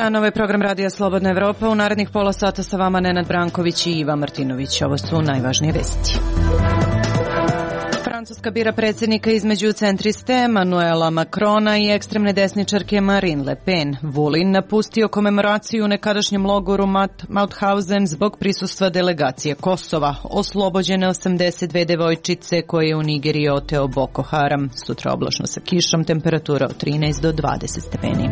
dan, ovo je program Radija Slobodna Evropa. U narednih pola sata sa vama Nenad Branković i Iva Martinović. Ovo su najvažnije vesti. Francuska bira predsjednika između centriste Emmanuela Macrona i ekstremne desničarke Marine Le Pen. Vulin napustio komemoraciju u nekadašnjem logoru Mauthausen zbog prisustva delegacije Kosova. Oslobođene 82 devojčice koje je u Nigeriji oteo Boko Haram. Sutra oblačno sa kišom, temperatura od 13 do 20 stepeni.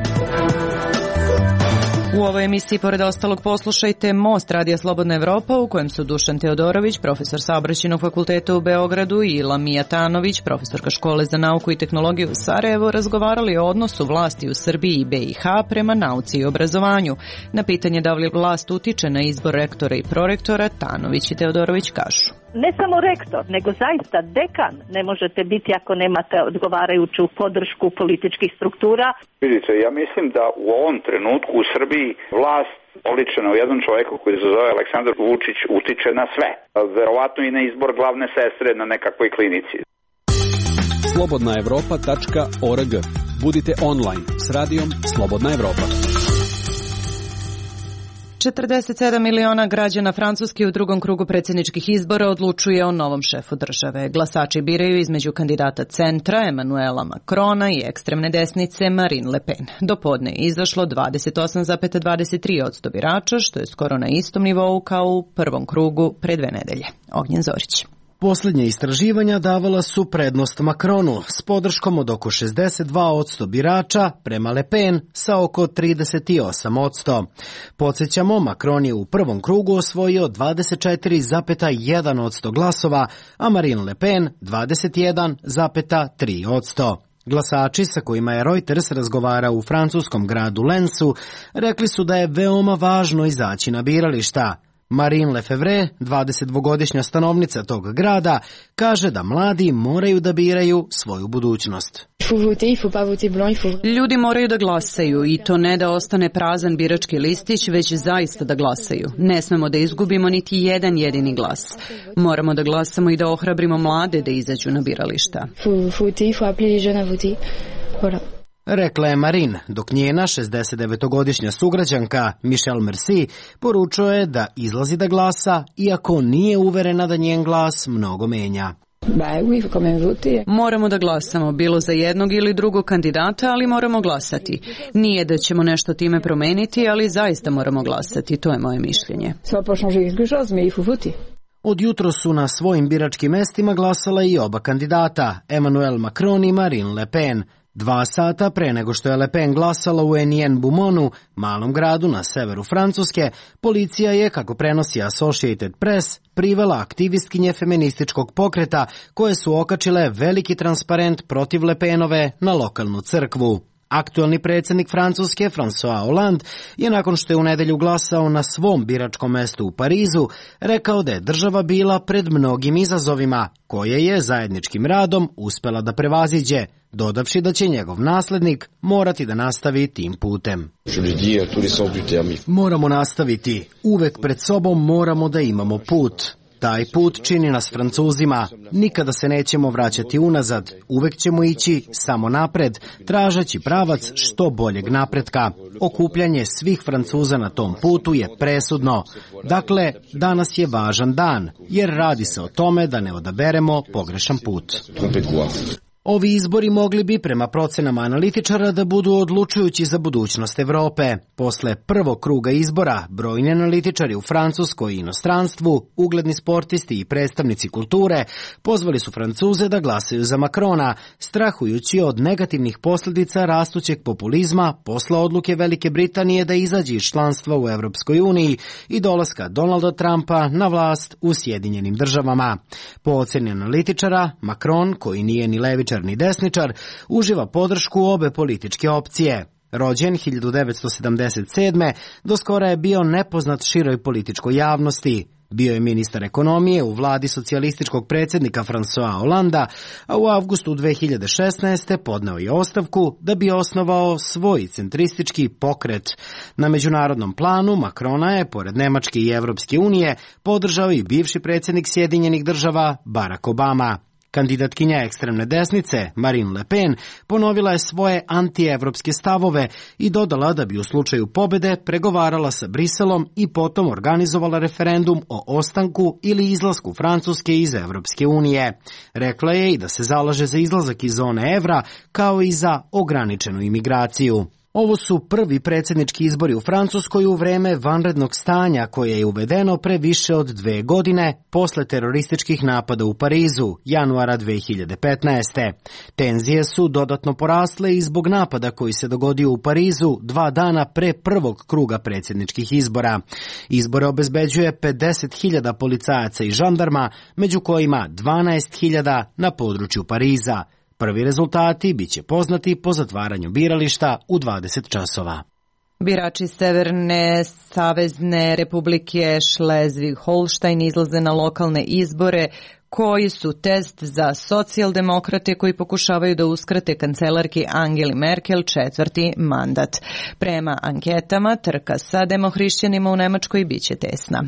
U ovoj emisiji, pored ostalog, poslušajte Most Radija Slobodna Evropa, u kojem su Dušan Teodorović, profesor Saobraćajnog fakulteta u Beogradu, i Lamija Tanović, profesorka Škole za nauku i tehnologiju u Sarajevu, razgovarali o odnosu vlasti u Srbiji i BiH prema nauci i obrazovanju. Na pitanje da li vlast utiče na izbor rektora i prorektora, Tanović i Teodorović kažu: ne samo rektor, nego zaista dekan ne možete biti ako nemate odgovarajuću podršku političkih struktura. Vidite, ja mislim da u ovom trenutku u Srbiji vlast oličena u jednom čovjeku koji se zove Aleksandar Vučić utiče na sve. Verovatno i na izbor glavne sestre na nekakvoj klinici. slobodnaevropa.org. Budite online s radijom Slobodna Evropa. 47 miliona građana Francuske u drugom krugu predsjedničkih izbora odlučuje o novom šefu države. Glasači biraju između kandidata centra Emmanuela Macrona i ekstremne desnice Marine Le Pen. Do podne je izašlo 28,23% birača, što je skoro na istom nivou kao u prvom krugu pre 2 nedelje. Ognjen Zorić. Posljednje istraživanja davala su prednost Macronu s podrškom od oko 62% birača prema Le Pen sa oko 38%. Podsjećamo, Macron je u prvom krugu osvojio 24,1% glasova, a Marine Le Pen 21,3%. Glasači sa kojima je Reuters razgovarao u francuskom gradu Lensu rekli su da je veoma važno izaći na birališta. Marine Lefevre, 22-godišnja stanovnica tog grada, kaže da mladi moraju da biraju svoju budućnost. Ljudi moraju da glasaju i to ne da ostane prazan birački listić, već zaista da glasaju. Ne smemo da izgubimo niti jedan jedini glas. Moramo da glasamo i da ohrabrimo mlade da izađu na birališta. Rekla je Marine, dok njena 69-godišnja sugrađanka Michelle Merci poručuje da izlazi da glasa, iako nije uverena da njen glas mnogo menja. Moramo da glasamo, bilo za jednog ili drugog kandidata, ali moramo glasati. Nije da ćemo nešto time promeniti, ali zaista moramo glasati, to je moje mišljenje. Od jutro su na svojim biračkim mestima glasala i oba kandidata, Emmanuel Macron i Marine Le Pen. 2 sata pre nego što je Le Pen glasala u Enien-Boumonu, malom gradu na severu Francuske, policija je, kako prenosi Associated Press, privela aktivistkinje feminističkog pokreta koje su okačile veliki transparent protiv Le Penove na lokalnu crkvu. Aktuelni predsjednik Francuske, François Hollande, je nakon što je u nedelju glasao na svom biračkom mestu u Parizu, rekao da je država bila pred mnogim izazovima, koje je zajedničkim radom uspela da prevaziđe, dodavši da će njegov naslednik morati da nastavi tim putem. Moramo nastaviti. Uvek pred sobom moramo da imamo put. Taj put čini nas Francuzima. Nikada se nećemo vraćati unazad. Uvek ćemo ići samo napred, tražeći pravac što boljeg napretka. Okupljanje svih Francuza na tom putu je presudno. Dakle, danas je važan dan, jer radi se o tome da ne odaberemo pogrešan put. Ovi izbori mogli bi, prema procenama analitičara, da budu odlučujući za budućnost Evrope. Posle prvog kruga izbora, brojni analitičari u Francuskoj i inostranstvu, ugledni sportisti i predstavnici kulture, pozvali su Francuze da glasaju za Macrona, strahujući od negativnih posljedica rastućeg populizma posle odluke Velike Britanije da izađe iz članstva u Evropskoj uniji i dolaska Donalda Trumpa na vlast u Sjedinjenim državama. Po oceni analitičara, Macron, koji nije ni levičar ni desničar, uživa podršku obe političke opcije. Rođen 1977. do skora je bio nepoznat široj političkoj javnosti. Bio je ministar ekonomije u vladi socijalističkog predsjednika François Hollanda, a u avgustu 2016. podneo je ostavku da bi osnovao svoj centristički pokret. Na međunarodnom planu Macrona je, pored Nemačke i Evropske unije, podržao i bivši predsjednik Sjedinjenih država Barack Obama. Kandidatkinja ekstremne desnice, Marine Le Pen, ponovila je svoje antievropske stavove i dodala da bi u slučaju pobede pregovarala sa Briselom i potom organizovala referendum o ostanku ili izlasku Francuske iz Evropske unije. Rekla je i da se zalaže za izlazak iz zone evra, kao i za ograničenu imigraciju. Ovo su prvi predsjednički izbori u Francuskoj u vreme vanrednog stanja koje je uvedeno pre više od 2 godine posle terorističkih napada u Parizu, januara 2015. Tenzije su dodatno porasle i zbog napada koji se dogodio u Parizu 2 dana pre prvog kruga predsjedničkih izbora. Izbore obezbeđuje 50.000 policajaca i žandarma, među kojima 12.000 na području Pariza. Prvi rezultati biće poznati po zatvaranju birališta u 20 časova. Birači Severne savezne republike Šlezvig-Holštajn izlaze na lokalne izbore koji su test za socijaldemokrate koji pokušavaju da uskrate kancelarki Angeli Merkel 4. mandat. Prema anketama, trka sa demohrišćanima u Nemačkoj biće tesna.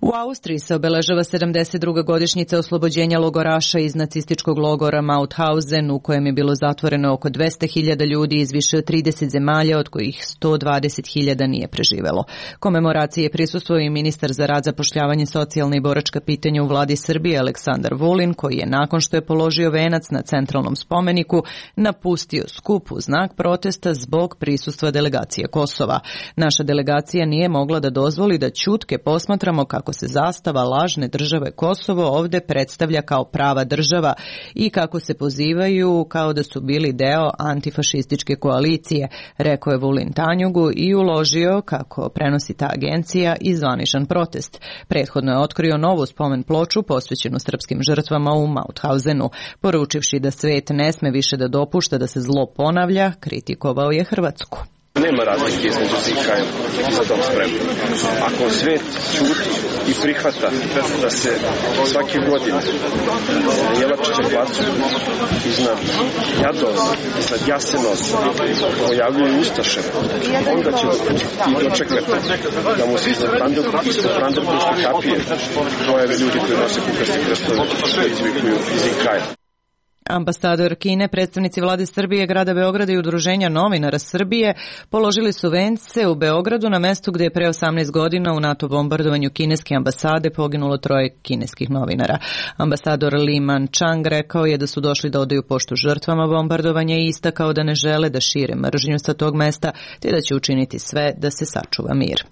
U Austriji se obeležava 72. godišnjica oslobođenja logoraša iz nacističkog logora Mauthausen, u kojem je bilo zatvoreno oko 200.000 ljudi iz više od 30 zemalja, od kojih 120.000 nije preživelo. Komemoraciji je prisustvovao i ministar za rad, zapošljavanje, socijalne i boračka pitanja u vladi Srbije Aleksandar Vulin, koji je nakon što je položio venac na centralnom spomeniku napustio skup u znak protesta zbog prisustva delegacije Kosova. Naša delegacija nije mogla da dozvoli da ćutke posmatramo kako se zastava lažne države Kosovo ovde predstavlja kao prava država i kako se pozivaju kao da su bili deo antifašističke koalicije, rekao je Vulin Tanjugu i uložio, kako prenosi ta agencija, i zvaničan protest. Prethodno je otkrio novu spomen ploču posvećenu srpskim žrtvama u Mauthausenu. Poručivši da svet ne sme više da dopušta da se zlo ponavlja, kritikovao je Hrvatsku. Nema razlike između zika i za dom spremno. Ako svet ćuti i prihvata da se svake godine na Jelačićem placu iznad Jadovna, iznad Jasenosa pojavljuju ustaše, onda će i dočekati da mu se ispod Brandenburške kapije pojave ljudi koji nose kukasti krstove koji izvikuju zikaja. Ambasador Kine, predstavnici vlade Srbije, grada Beograda i Udruženja novinara Srbije položili su vence u Beogradu na mestu gde je pre 18 godina u NATO bombardovanju kineske ambasade poginulo 3 kineskih novinara. Ambasador Li Man-chang rekao je da su došli da odaju poštu žrtvama bombardovanja i istakao da ne žele da šire mržnju sa tog mesta, te da će učiniti sve da se sačuva mir.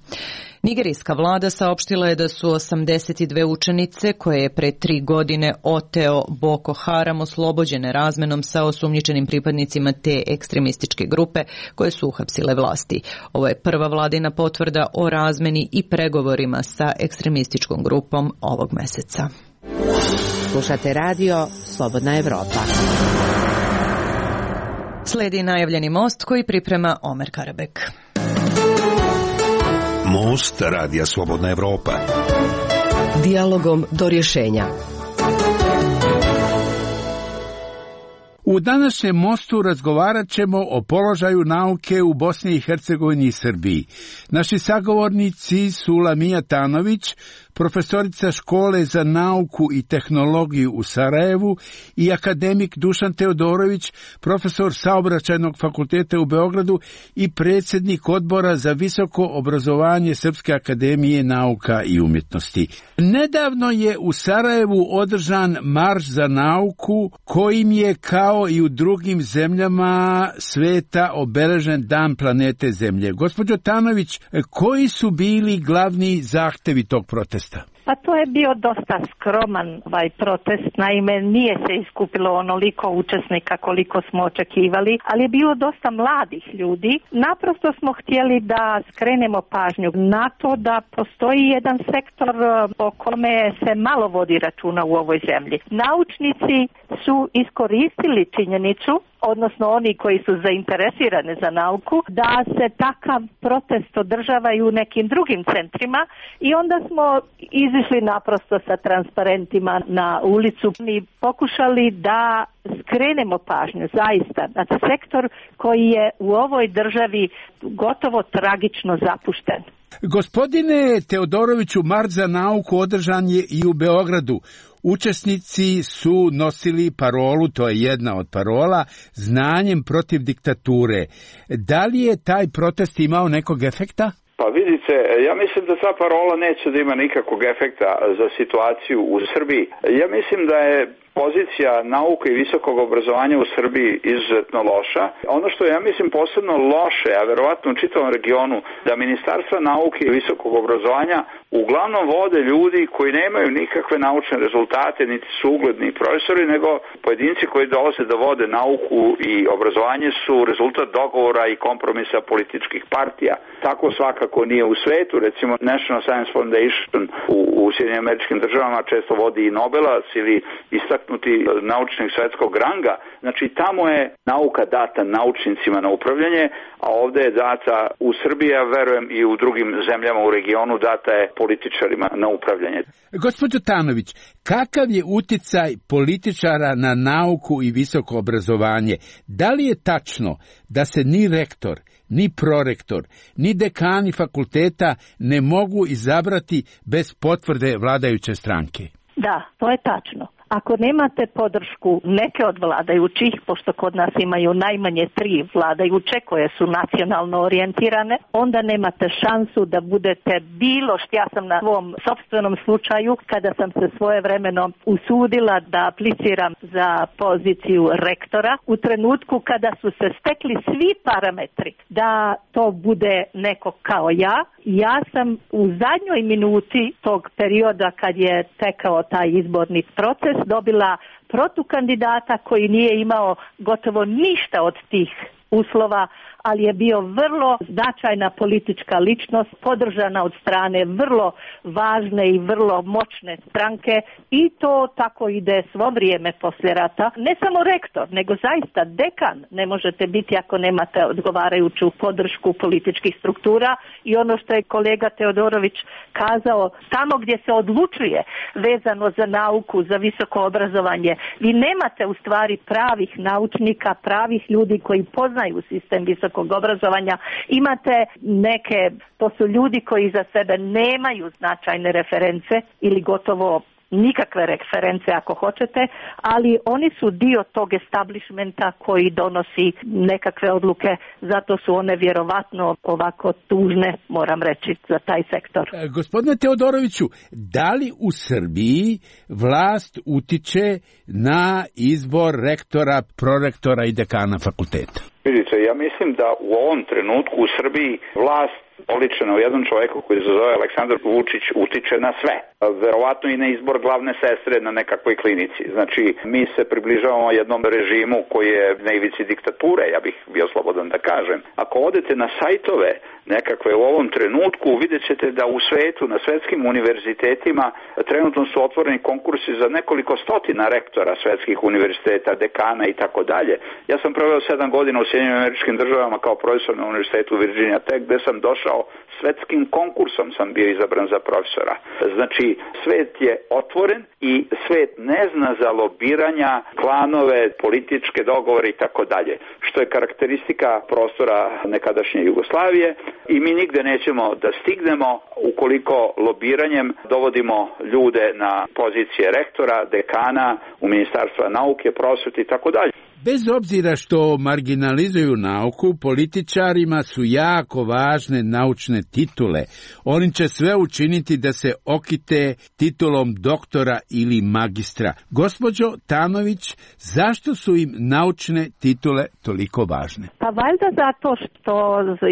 Nigerijska vlada saopštila je da su 82 učenice koje je pre 3 godine oteo Boko Haram oslobođene razmenom sa osumnjičenim pripadnicima te ekstremističke grupe koje su uhapsile vlasti. Ovo je prva vladina potvrda o razmeni i pregovorima sa ekstremističkom grupom ovog meseca. Slušate radio Slobodna Evropa. Sledi najavljeni most koji priprema Omer Karabek. Most radija Slobodna Evropa. Dijalogom do rješenja. U današnjem mostu razgovarat ćemo o položaju nauke u Bosni i Hercegovini i Srbiji. Naši sagovornici su Lamija Tanović, profesorica škole za nauku i tehnologiju u Sarajevu, i akademik Dušan Teodorović, profesor saobraćajnog fakulteta u Beogradu i predsjednik odbora za visoko obrazovanje Srpske akademije nauka i umjetnosti. Nedavno je u Sarajevu održan marš za nauku kojim je kao i u drugim zemljama sveta obeležen Dan planete Zemlje. Gospođo Tanović, koji su bili glavni zahtevi tog protesta? Pa to je bio dosta skroman protest, naime nije se iskupilo onoliko učesnika koliko smo očekivali, ali je bilo dosta mladih ljudi. Naprosto smo htjeli da skrenemo pažnju na to da postoji jedan sektor o kome se malo vodi računa u ovoj zemlji. Naučnici su iskoristili činjenicu, odnosno oni koji su zainteresirani za nauku, da se takav protest održava i u nekim drugim centrima i onda smo izišli naprosto sa transparentima na ulicu i pokušali da skrenemo pažnju zaista na sektor koji je u ovoj državi gotovo tragično zapušten. Gospodine Teodoroviću, marš za nauku održan je i u Beogradu. Učesnici su nosili parolu, to je jedna od parola, znanjem protiv diktature. Da li je taj protest imao nekog efekta? Pa vidite, ja mislim da ta parola neće da ima nikakvog efekta za situaciju u Srbiji. Ja mislim da je pozicija nauke i visokog obrazovanja u Srbiji izuzetno loša. Ono što ja mislim posebno loše, a verovatno u čitavom regionu, da Ministarstva nauke i visokog obrazovanja uglavnom vode ljudi koji nemaju nikakve naučne rezultate, niti su ugledni profesori, nego pojedinci koji dolaze da vode nauku i obrazovanje su rezultat dogovora i kompromisa političkih partija. Tako svakako nije u svetu. Recimo National Science Foundation u Sjedinjenim Američkim Državama često vodi i Nobelac ili istaknuti naučnik svetskog ranga. Znači tamo je nauka data naučnicima na upravljanje, a ovde je data u Srbiji, a verujem i u drugim zemljama u regionu, data je političarima na upravljanje. Gospođo Tanović, kakav je uticaj političara na nauku i visoko obrazovanje? Da li je tačno da se ni rektor, ni prorektor, ni dekani fakulteta ne mogu izabrati bez potvrde vladajuće stranke? Da, to je tačno. Ako nemate podršku neke od vladajućih, pošto kod nas imaju najmanje 3 vladajuće koje su nacionalno orijentirane, onda nemate šansu da budete bilo što. Ja sam na svom sopstvenom slučaju, kada sam se svojevremeno usudila da apliciram za poziciju rektora, u trenutku kada su se stekli svi parametri da to bude neko kao ja sam u zadnjoj minuti tog perioda kad je tekao taj izborni proces dobila protukandidata koji nije imao gotovo ništa od tih uslova, ali je bio vrlo značajna politička ličnost, podržana od strane vrlo važne i vrlo moćne stranke i to tako ide svo vrijeme poslije rata. Ne samo rektor, nego zaista dekan ne možete biti ako nemate odgovarajuću podršku političkih struktura i ono što je kolega Teodorović kazao, tamo gdje se odlučuje vezano za nauku, za visoko obrazovanje, vi nemate u stvari pravih naučnika, pravih ljudi koji poznaju sistem visokog obrazovanja, imate neke, to su ljudi koji za sebe nemaju značajne reference ili gotovo nikakve reference ako hoćete, ali oni su dio tog establishmenta koji donosi nekakve odluke, zato su one vjerovatno ovako tužne, moram reći, za taj sektor. Gospodine Teodoroviću, da li u Srbiji vlast utiče na izbor rektora, prorektora i dekana fakulteta? Vidite, ja mislim da u ovom trenutku u Srbiji vlast oličena u jednom čovjeku koji se zove Aleksandar Vučić utiče na sve. Verovatno i na izbor glavne sestre na nekakvoj klinici. Znači, mi se približavamo jednom režimu koji je na ivici diktature, ja bih bio slobodan da kažem. Ako odete na sajtove nekakve u ovom trenutku, vidjet ćete da u svetu, na svetskim univerzitetima, trenutno su otvoreni konkursi za nekoliko stotina rektora svetskih univerziteta, dekana i tako dalje. Ja sam proveo 7 godina u Sjedinjenim Američkim Državama kao profesor na univerzitetu Virginia Tech, gde sam došao svetskim konkursom sam bio izabran za profesora. Znači, svet je otvoren i svet ne zna za lobiranja, klanove, političke dogovore i tako dalje, što je karakteristika prostora nekadašnje Jugoslavije i mi nigde nećemo da stignemo ukoliko lobiranjem dovodimo ljude na pozicije rektora, dekana, u Ministarstva nauke, prosvete i tako dalje. Bez obzira što marginalizuju nauku, političarima su jako važne naučne titule. Oni će sve učiniti da se okite titulom doktora ili magistra. Gospođo Tanović, zašto su im naučne titule toliko važne? Pa valjda zato što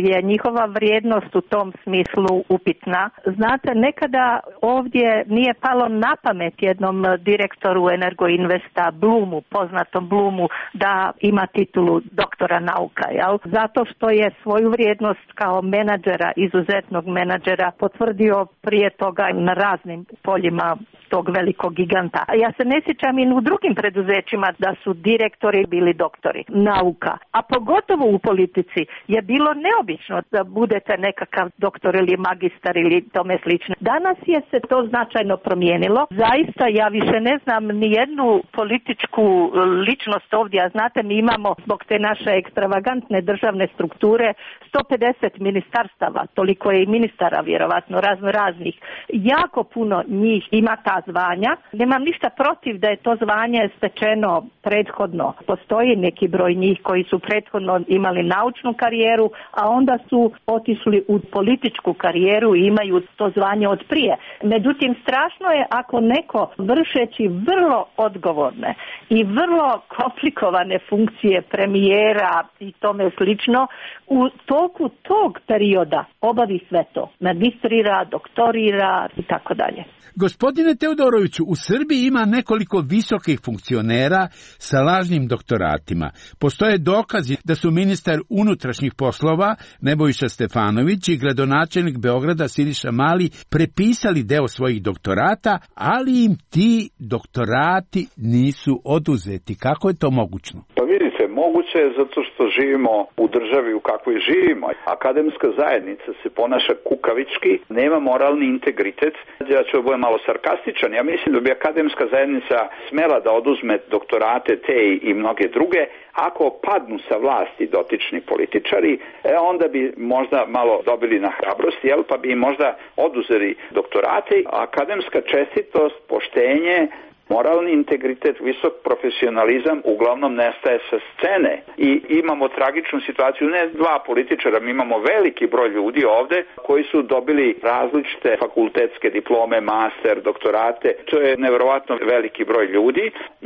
je njihova vrijednost u tom smislu upitna. Znate, nekada ovdje nije palo na pamet jednom direktoru Energoinvesta, Blumu, poznatom Blumu, da ima titulu doktora nauka, jel? Zato što je svoju vrijednost kao menadžera, izuzetnog menadžera, potvrdio prije toga na raznim poljima tog velikog giganta. Ja se ne sjećam i u drugim preduzećima da su direktori bili doktori nauka, a pogotovo u politici je bilo neobično da budete nekakav doktor ili magistar ili tome slično. Danas je se to značajno promijenilo. Zaista ja više ne znam ni jednu političku ličnost ovdje, a znate, mi imamo zbog te naše ekstravagantne državne strukture 150 ministarstava, toliko je i ministara vjerovatno raznih. Jako puno njih ima ta ta zvanja. Nemam ništa protiv da je to zvanje stečeno prethodno. Postoji neki broj njih koji su prethodno imali naučnu karijeru, a onda su otišli u političku karijeru i imaju to zvanje od prije. Međutim, strašno je ako neko vršeći vrlo odgovorne i vrlo komplikovane funkcije premijera i tome slično, u toku tog perioda obavi sve to. Magistrira, doktorira i tako dalje. Gospodine Teodoroviću, u Srbiji ima nekoliko visokih funkcionera sa lažnim doktoratima. Postoje dokazi da su ministar unutrašnjih poslova Nebojša Stefanović i gradonačelnik Beograda Siniša Mali prepisali deo svojih doktorata, ali im ti doktorati nisu oduzeti. Kako je to mogućno? Pa vidite, moguće je zato što živimo u državi u kakvoj živimo. Akademska zajednica se ponaša kukavički, nema moralni integritet. Ja ću biti malo sarkastičan. Ja mislim da bi akademska zajednica smela da oduzme doktorate te i mnoge druge. Ako padnu sa vlasti dotični političari, onda bi možda malo dobili na hrabrosti, pa bi im možda oduzeli doktorate. Akademska čestitost, poštenje, moralni integritet, visok profesionalizam uglavnom nestaje sa scene i imamo tragičnu situaciju, ne dva političara, mi imamo veliki broj ljudi ovde koji su dobili različite fakultetske diplome, master, doktorate, to je neverovatno veliki broj ljudi.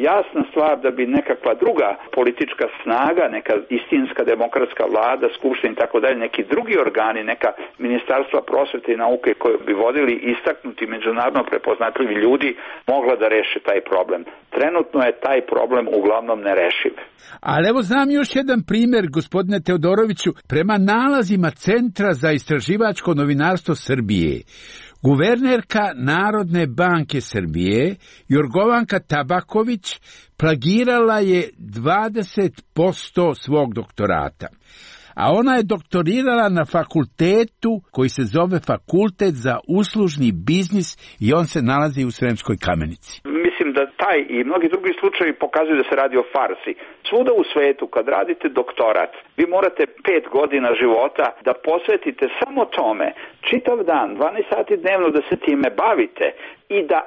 Jasna stvar da bi nekakva druga politička snaga, neka istinska demokratska vlada, skupština i tako dalje, neki drugi organi, neka ministarstva prosvete i nauke koji bi vodili istaknuti međunarodno prepoznatljivi ljudi, mogla da reše taj problem. Trenutno je taj problem uglavnom nerešiv. Ali evo znam još jedan primjer, gospodine Teodoroviću, prema nalazima Centra za istraživačko novinarstvo Srbije. Guvernerka Narodne banke Srbije, Jorgovanka Tabaković, plagirala je 20% svog doktorata. A ona je doktorirala na fakultetu koji se zove Fakultet za uslužni biznis i on se nalazi u Sremskoj Kamenici. Mislim da taj i mnogi drugi slučajevi pokazuju da se radi o farsi. Svuda u svetu kad radite doktorat, vi morate 5 godina života da posvetite samo tome, čitav dan, 12 sati dnevno da se time bavite i da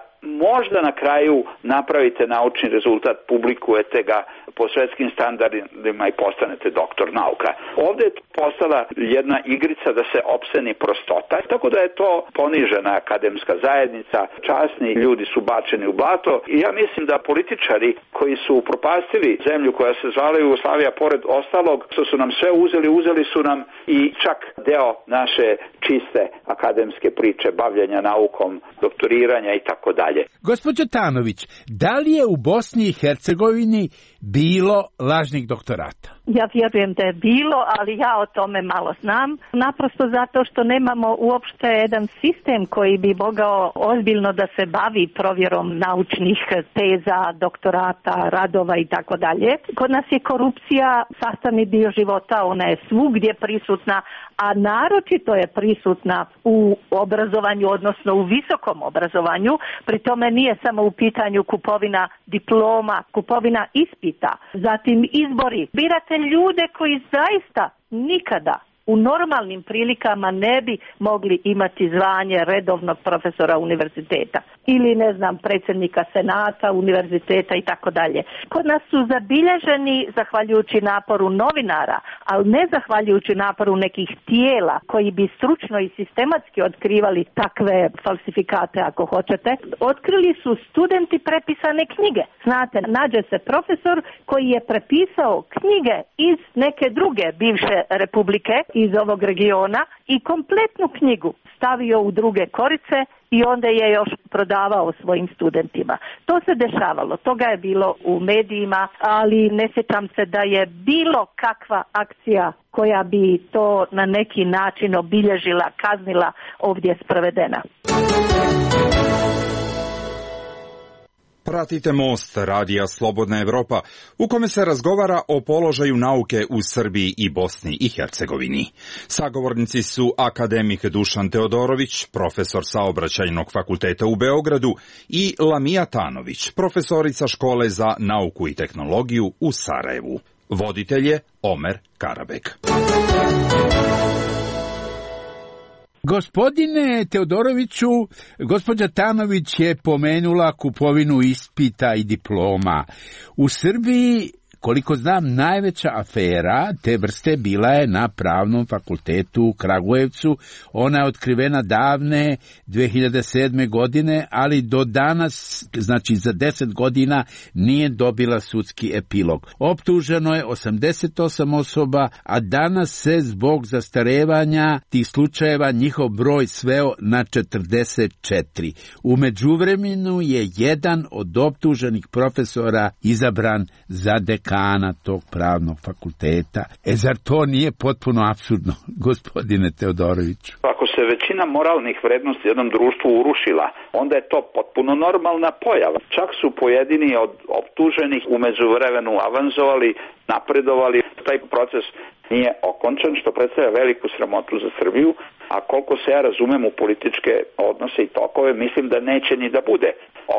možda na kraju napravite naučni rezultat, publikujete ga po svetskim standardima i postanete doktor nauka. Ovdje je postala jedna igrica da se opseni prostota, tako da je to ponižena akademska zajednica, časni ljudi su bačeni u blato i ja mislim da političari koji su upropastili zemlju koja se zvala Jugoslavija, pored ostalog što su nam sve uzeli su nam i čak deo naše čiste akademske priče, bavljenja naukom, doktoriranja i tako dalje. Gospođo Tanović, da li je u Bosni i Hercegovini bilo lažnih doktorata? Ja vjerujem da je bilo, ali ja o tome malo znam. Naprosto zato što nemamo uopšte jedan sistem koji bi mogao ozbiljno da se bavi provjerom naučnih teza, doktorata, radova i tako dalje. Kod nas je korupcija sastavni dio života, ona je svugdje prisutna, a naročito je prisutna u obrazovanju, odnosno u visokom obrazovanju. Pri tome nije samo u pitanju kupovina diploma, kupovina ispita, zatim izbori. Birate ljude koji zaista nikada u normalnim prilikama ne bi mogli imati zvanje redovnog profesora univerziteta ili, ne znam, predsjednika senata, univerziteta i tako dalje. Kod nas su zabilježeni zahvaljujući naporu novinara, ali ne zahvaljujući naporu nekih tijela koji bi stručno i sistematski otkrivali takve falsifikate, ako hoćete. Otkrili su studenti prepisane knjige. Znate, nađe se profesor koji je prepisao knjige iz neke druge bivše republike, iz ovog regiona, i kompletnu knjigu stavio u druge korice i onda je još prodavao svojim studentima. To se dešavalo, toga je bilo u medijima, ali ne sjećam se da je bilo kakva akcija koja bi to na neki način obilježila, kaznila, ovdje sprovedena. Pratite Most, radija Slobodna Evropa, u kome se razgovara o položaju nauke u Srbiji i Bosni i Hercegovini. Sagovornici su akademik Dušan Teodorović, profesor Saobraćajnog fakulteta u Beogradu, i Lamija Tanović, profesorica Škole za nauku i tehnologiju u Sarajevu. Voditelj je Omer Karabek. Gospodine Teodoroviću, gospođa Tanović je pomenula kupovinu ispita i diploma. U Srbiji, koliko znam, najveća afera te vrste bila je na Pravnom fakultetu u Kragujevcu. Ona je otkrivena davne 2007. godine, ali do danas, znači za 10 godina, nije dobila sudski epilog. Optuženo je 88 osoba, a danas se zbog zastarevanja tih slučajeva njihov broj sveo na 44. U međuvremenu je jedan od optuženih profesora izabran za dekana tog pravnog fakulteta. Zar to nije potpuno apsurdno, gospodine Teodoroviću? Ako se većina moralnih vrednosti u jednom društvu urušila, onda je to potpuno normalna pojava. Čak su pojedini od optuženih u međuvremenu avanzovali, napredovali. Taj proces nije okončan, što predstavlja veliku sramotu za Srbiju, a koliko se ja razumem u političke odnose i tokove, mislim da neće ni da bude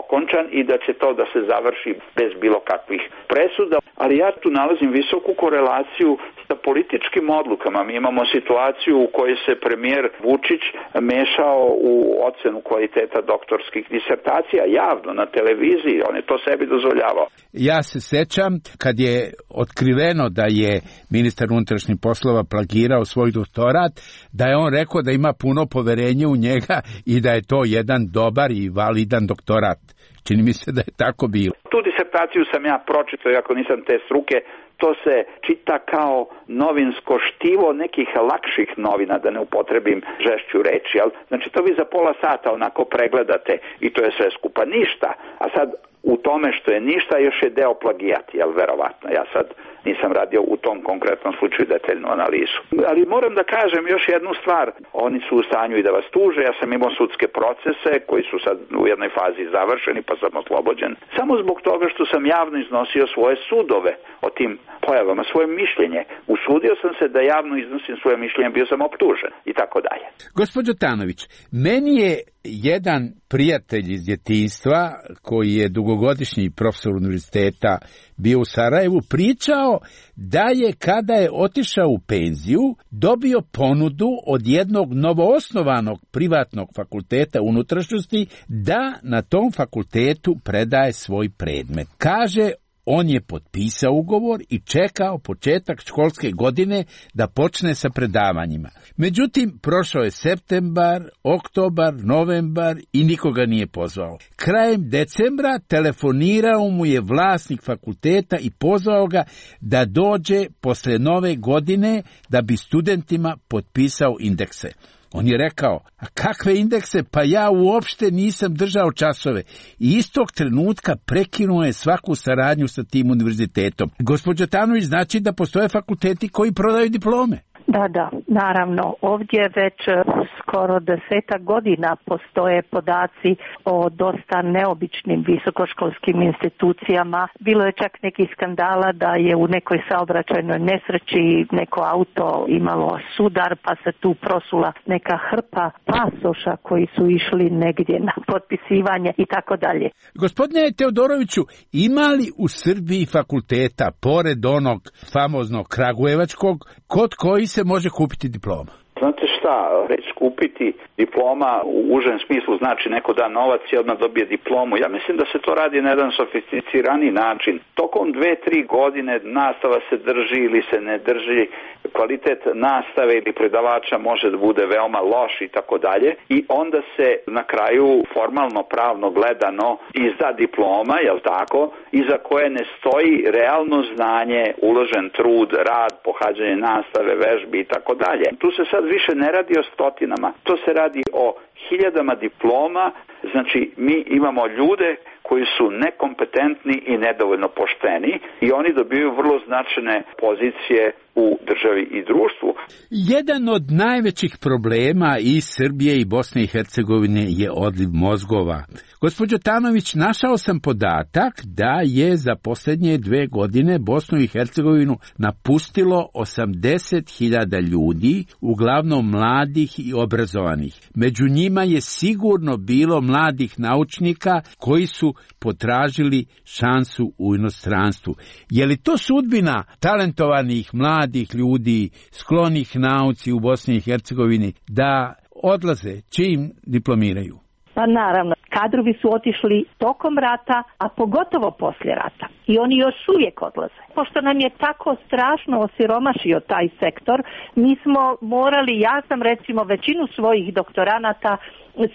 okončan i da će to da se završi bez bilo kakvih presuda. Ali ja tu nalazim visoku korelaciju sa političkim odlukama. Mi imamo situaciju u kojoj se premijer Vučić mešao u ocenu kvaliteta doktorskih disertacija javno na televiziji. On je to sebi dozvoljavao. Ja se sećam kad je otkriveno da je ministar unutrašnjih poslova plagirao svoj doktorat, da je on rekao da ima puno poverenje u njega i da je to jedan dobar i validan doktorat. Čini mi se da je tako bilo. Tu disertaciju sam ja pročitao, iako nisam te struke. To se čita kao novinsko štivo nekih lakših novina, da ne upotrebim žešću reči. Znači to vi za pola sata onako pregledate i to je sve skupa ništa. A sad u tome što je ništa još je deo plagijat, verovatno. Ja sad nisam radio u tom konkretnom slučaju detaljnu analizu. Ali moram da kažem još jednu stvar. Oni su u stanju i da vas tuže. Ja sam imao sudske procese koji su sad u jednoj fazi završeni pa sam oslobođen. Samo zbog toga što sam javno iznosio svoje sudove o tim pojavama, svoje mišljenje. Usudio sam se da javno iznosim svoje mišljenje, bio sam optužen i tako dalje. Gospođo Tanović, meni je jedan prijatelj iz djetinjstva, koji je dugogodišnji profesor univerziteta bio u Sarajevu, pričao da je kada je otišao u penziju dobio ponudu od jednog novoosnovanog privatnog fakulteta unutrašnjosti da na tom fakultetu predaje svoj predmet. Kaže, on je potpisao ugovor i čekao početak školske godine da počne sa predavanjima. Međutim, prošao je septembar, oktobar, novembar i nikoga nije pozvao. Krajem decembra telefonirao mu je vlasnik fakulteta i pozvao ga da dođe posle nove godine da bi studentima potpisao indekse. On je rekao, a kakve indekse, pa ja uopšte nisam držao časove. I istog trenutka prekinuo je svaku saradnju sa tim univerzitetom. Gospođo Tanović, znači da postoje fakulteti koji prodaju diplome? Da, naravno. Ovdje već skoro 10 godina postoje podaci o dosta neobičnim visokoškolskim institucijama. Bilo je čak nekih skandala da je u nekoj saobraćajnoj nesreći neko auto imalo sudar, pa se tu prosula neka hrpa pasoša koji su išli negdje na potpisivanje i tako dalje. Gospodine Teodoroviću, ima li u Srbiji fakulteta, pored onog famoznog kragujevačkog, kod koji se može kupiti diploma? Znate šta, reći kupiti diploma u užem smislu znači neko da novac i odmah dobije diplomu. Ja mislim da se to radi na jedan sofisticirani način. Tokom 2-3 godine nastava se drži ili se ne drži, kvalitet nastave ili predavača može da bude veoma loš i tako dalje. I onda se na kraju formalno pravno gledano izda diploma, jel tako, iza koje ne stoji realno znanje, uložen trud, rad, pohađanje nastave, vežbi i tako dalje. Tu se sad više ne radi o stotinama, to se radi o hiljadama diploma. Znači mi imamo ljude koji su nekompetentni i nedovoljno pošteni i oni dobiju vrlo značajne pozicije u državi i društvu. Jedan od najvećih problema i Srbije i Bosne i Hercegovine je odliv mozgova. Gospođo Tanović, našao sam podatak da je za posljednje 2 godine Bosnu i Hercegovinu napustilo 80.000 ljudi, uglavnom mladih i obrazovanih. Među njima je sigurno bilo mladih naučnika koji su potražili šansu u inostranstvu. Je li to sudbina talentovanih mladih ljudi, sklonih nauci u Bosni i Hercegovini, da odlaze, čim diplomiraju? Pa naravno, kadrovi su otišli tokom rata, a pogotovo poslije rata. I oni još uvijek odlaze. Pošto nam je tako strašno osiromašio taj sektor, mi smo morali, ja sam recimo većinu svojih doktoranata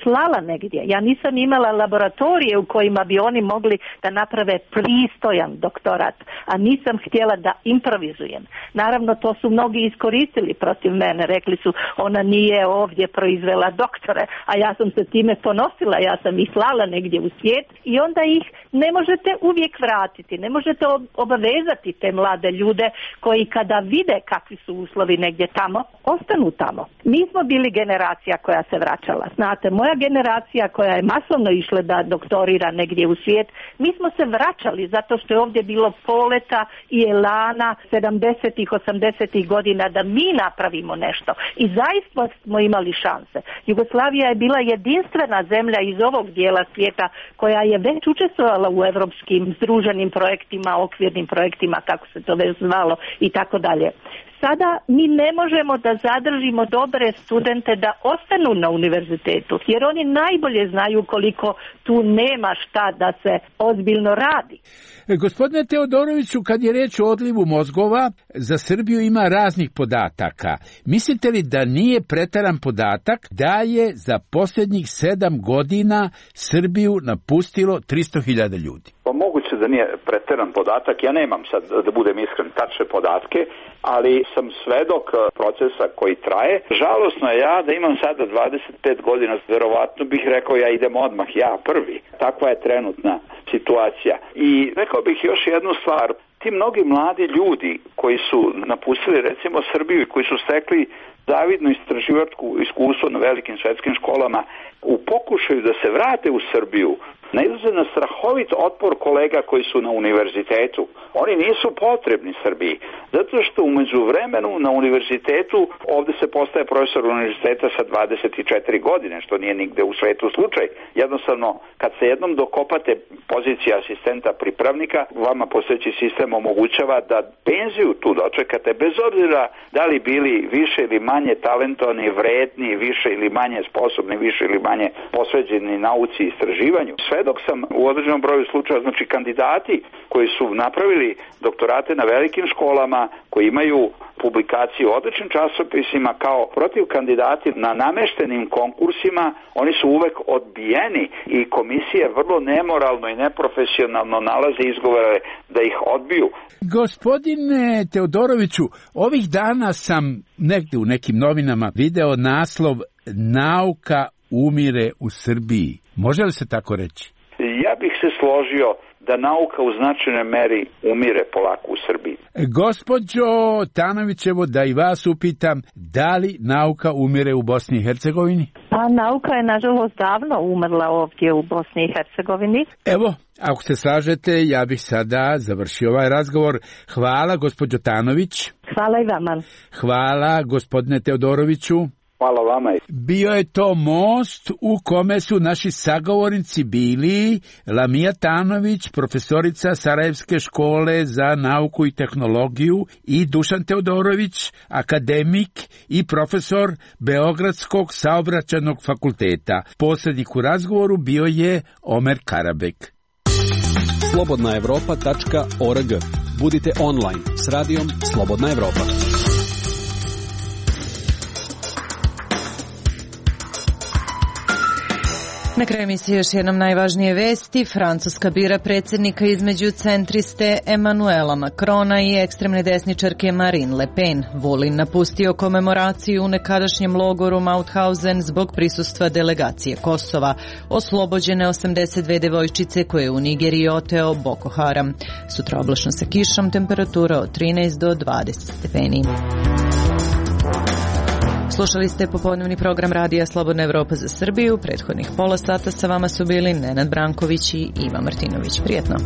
slala negdje. Ja nisam imala laboratorije u kojima bi oni mogli da naprave pristojan doktorat, a nisam htjela da improvizujem. Naravno, to su mnogi iskoristili protiv mene. Rekli su, ona nije ovdje proizvela doktore, a ja sam se time ponosila, ja sam ih slala negdje u svijet i onda ih ne možete uvijek vratiti, ne možete obavezati te mlade ljude koji kada vide kakvi su uslovi negdje tamo, ostanu tamo. Mi smo bili generacija koja se vraćala. Znate, moja generacija koja je masovno išla da doktorira negdje u svijet, mi smo se vraćali zato što je ovdje bilo poleta i elana 70-ih, 80-ih godina da mi napravimo nešto. I zaista smo imali šanse. Jugoslavija je bila jedinstvena zemlja iz ovog dijela svijeta koja je već učestvovala u evropskim združenim projektima, okvirnim projektima, kako se to već zvalo i tako dalje. Sada mi ne možemo da zadržimo dobre studente da ostanu na univerzitetu, jer oni najbolje znaju koliko tu nema šta da se ozbiljno radi. Gospodine Teodoroviću, kad je reč o odlivu mozgova, za Srbiju ima raznih podataka. Mislite li da nije pretaran podatak da je za posljednjih 7 godina Srbiju napustilo 300.000 ljudi? Pa moguće da nije preteran podatak, ja nemam sad, da budem iskren, tačne podatke, ali sam svedok procesa koji traje. Žalosno je ja da imam sada 25 godina, verovatno bih rekao ja idem odmah, ja prvi. Takva je trenutna situacija. I rekao bih još jednu stvar, ti mnogi mladi ljudi koji su napustili recimo Srbiju i koji su stekli zavidno istraživačko iskustvo na velikim svetskim školama, u pokušaju da se vrate u Srbiju, nailaze na strahovit otpor kolega koji su na univerzitetu. Oni nisu potrebni Srbiji, zato što u međuvremenu na univerzitetu, ovdje se postaje profesor univerziteta sa 24 godine, što nije nigde u svetu slučaj. Jednostavno, kad se jednom dokopate pozicije asistenta pripravnika, vama postojeći sistem omogućava da penziju tu dočekate, bez obzira da li bili više ili manje talentovani, vredni, više ili manje sposobni, više ili manje posveđeni nauci i istraživanju. Svedok sam u određenom broju slučaja, znači kandidati koji su napravili doktorate na velikim školama, koji imaju publikacije u odličnim časopisima kao protiv kandidati na nameštenim konkursima, oni su uvek odbijeni i komisije vrlo nemoralno i neprofesionalno nalaze izgovore da ih odbiju. Gospodine Teodoroviću, ovih dana sam negde u nekim novinama video naslov Nauka umire u Srbiji. Može li se tako reći? Ja bih se složio da nauka u značajnoj meri umire polako u Srbiji. Gospođo Tanovićevo, da i vas upitam, da li nauka umire u Bosni i Hercegovini? Pa nauka je nažalost davno umrla ovdje u Bosni i Hercegovini. Evo, ako se slažete, ja bih sada završio ovaj razgovor. Hvala, gospođo Tanović. Hvala i vama. Hvala, gospodine Teodoroviću. Hvala vama. Bio je to most u kome su naši sagovornici bili Lamija Tanović, profesorica Sarajevske škole za nauku i tehnologiju, i Dušan Teodorović, akademik i profesor Beogradskog saobraćajnog fakulteta. Posrednik u razgovoru bio je Omer Karabek. Slobodnaevropa.org. Budite online s radijom Slobodna Evropa. Na kraju emisije još jednom najvažnije vesti. Francuska bira predsjednika između centriste Emmanuela Macrona i ekstremne desničarke Marine Le Pen. Vulin napustio komemoraciju u nekadašnjem logoru Mauthausen zbog prisustva delegacije Kosova. Oslobođene 82 devojčice koje je u Nigeriji oteo Boko Haram. Sutra oblačno sa kišom, temperatura od 13 do 20 stepeni. Slušali ste popodnevni program Radija Slobodna Evropa za Srbiju. Prethodnih pola sata sa vama su bili Nenad Branković i Iva Martinović. Prijetno.